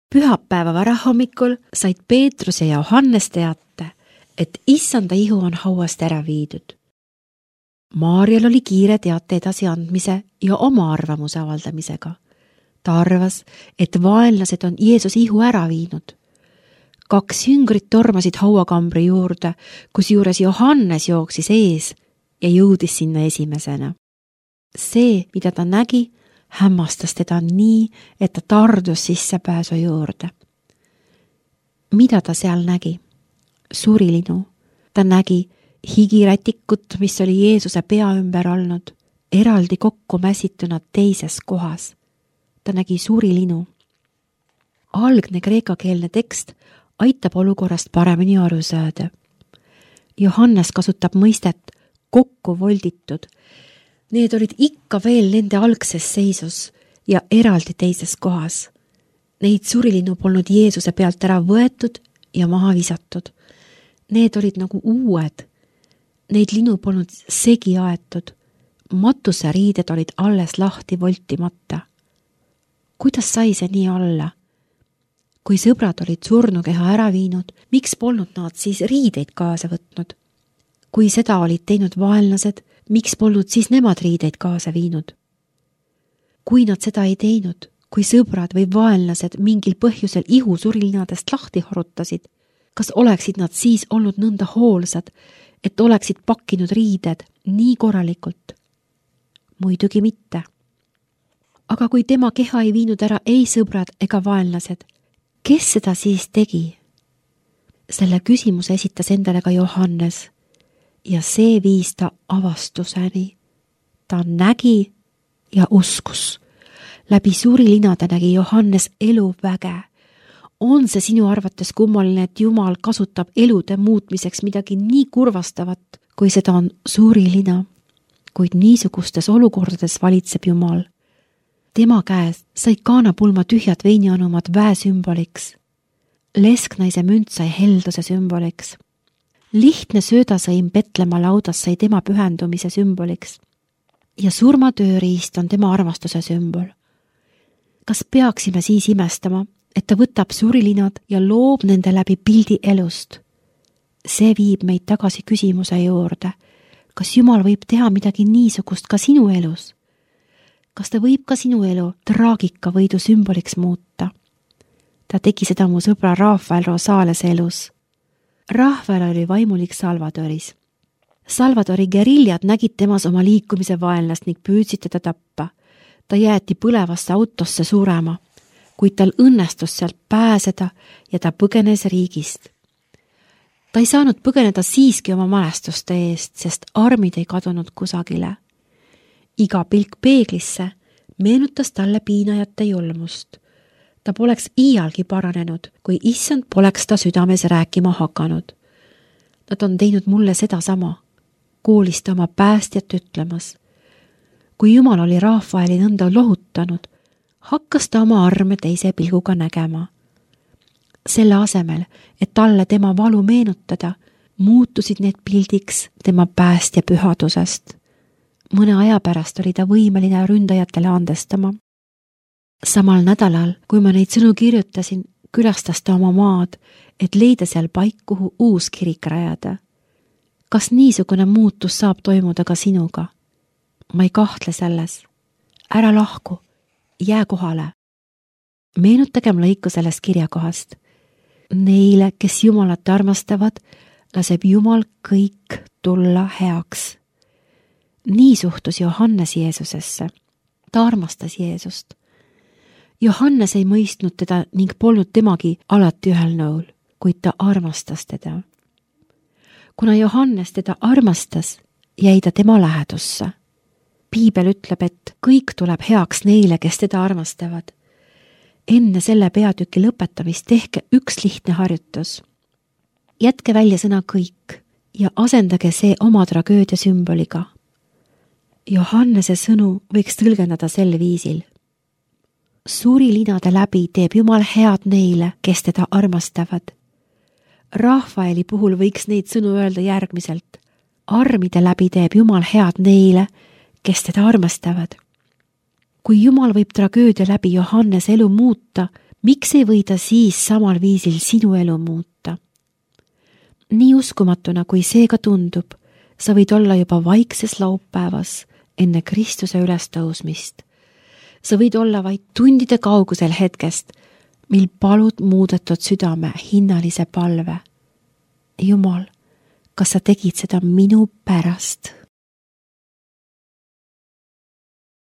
Pühapäeva varahommikul said Peetrus ja Johannes teate, et issanda ihu on hauast ära viidud. Maarjal oli kiire teate edasiandmise ja oma arvamuse avaldamisega. Ta arvas, et vaenlased on Jeesus ihu ära viinud. 2 jüngrit tormasid hauakambri juurde, kusjuures Johannes jooksis ees ja jõudis sinna esimesena. See, mida ta nägi, hämmastas teda nii, et ta tardus sissepääsu juurde. Mida ta seal nägi? Surilinu. Ta nägi higirätikut, mis oli Jeesuse pea ümber olnud, eraldi kokku mässituna teises kohas. Ta nägi surilinu. Algne kreekakeelne tekst aitab olukorrast paremini aru saada. Johannes kasutab mõistet kokku volditud. Need olid ikka veel nende algses seisus ja eraldi teises kohas. Neid surilinu polnud Jeesuse pealt ära võetud ja maha visatud. Need olid nagu uued. Neid linu polnud segi aetud. Matuseriided olid alles lahti voltimata. Kuidas sai see nii olla? Kui sõbrad olid surnukeha ära viinud, miks polnud nad siis riideid kaasa võtnud? Kui seda olid teinud vaenlased, miks polnud siis nemad riideid kaasa viinud? Kui nad seda ei teinud, kui sõbrad või vaenlased mingil põhjusel ihu surilinadest lahti harutasid, kas oleksid nad siis olnud nõnda hoolsad, et oleksid pakkinud riided nii korralikult? Muidugi mitte. Aga kui tema keha ei viinud ära ei sõbrad ega vaenlased, kes seda siis tegi? Selle küsimuse esitas endale ka Johannes ja see viis ta avastuseni. Ta nägi ja uskus. Läbi suurilinade nägi Johannes eluväge. On see sinu arvates kummaline, et Jumal kasutab elude muutmiseks midagi nii kurvastavat, kui seda on suurilina? Kuid niisugustes olukordades valitseb Jumal. Tema käes sai kaanapulma tühjad veinianumad väesümboliks. Lesknaise münt sai helduse sümboliks. Lihtne söödasõim Petlemma laudas sai tema pühendumise sümboliks. Ja surmatööriist on tema armastuse sümbol. Kas peaksime siis imestama, et ta võtab surilinad ja loob nende läbi pildi elust? See viib meid tagasi küsimuse juurde. Kas Jumal võib teha midagi niisugust ka sinu elus? Kas ta võib ka sinu elu traagika võidu sümboliks muuta? Ta tegi seda mu sõbra Rafael Rosaalese elus. Rafael oli vaimulik Salvadoris. Salvadori geriljad nägid temas oma liikumise vaenlast ning püüdsid teda tappa. Ta jäeti põlevasse autosse surema, kuid tal õnnestus sealt pääseda ja ta põgenes riigist. Ta ei saanud põgeneda siiski oma mälestuste eest, sest armid ei kadunud kusagile. Iga pilk peeglisse meenutas talle piinajate julmust. Ta poleks iialgi paranenud, kui issand poleks ta südames rääkima hakanud. Nad on teinud mulle seda sama, koolis ta oma päästjat ütlemas. Kui Jumal oli Rafaeli nõnda lohutanud, hakkas ta oma arme teise pilguga nägema. Selle asemel, et talle tema valu meenutada, muutusid need pildiks tema päästja pühadusest. Mõne aja pärast oli ta võimeline ründajatele andestama. Samal nädalal, kui ma neid sõnu kirjutasin, külastas ta oma maad, et leida seal paik, kuhu uus kirik rajada. Kas niisugune muutus saab toimuda ka sinuga? Ma ei kahtle selles. Ära lahku, jää kohale. Meenutagem lõiku sellest kirjakohast. Neile, kes Jumalat armastavad, laseb Jumal kõik tulla heaks. Nii suhtus Johannes Jeesusesse. Ta armastas Jeesust. Johannes ei mõistnud teda ning polnud temagi alati ühel nõul, kuid ta armastas teda. Kuna Johannes teda armastas, jäi ta tema lähedusse. Piibel ütleb, et kõik tuleb heaks neile, kes teda armastavad. Enne selle peatüki lõpetamist tehke üks lihtne harjutus. Jätke välja sõna kõik ja asendage see oma tragöödia sümboliga. Johannese sõnu võiks tõlgendada sel viisil. Suurilinade läbi teeb Jumal head neile, kes teda armastavad. Rafaeli puhul võiks neid sõnu öelda järgmiselt. Armide läbi teeb Jumal head neile, kes teda armastavad. Kui Jumal võib tragöödia läbi Johannese elu muuta, miks ei või ta siis samal viisil sinu elu muuta? Nii uskumatuna, kui see ka tundub, sa võid olla juba vaikses laupäevas enne Kristuse ülestõusmist. Sa võid olla vaid tundide kaugusel hetkest, mil palud muudetud südame hinnalise palve. Jumal, kas sa tegid seda minu pärast?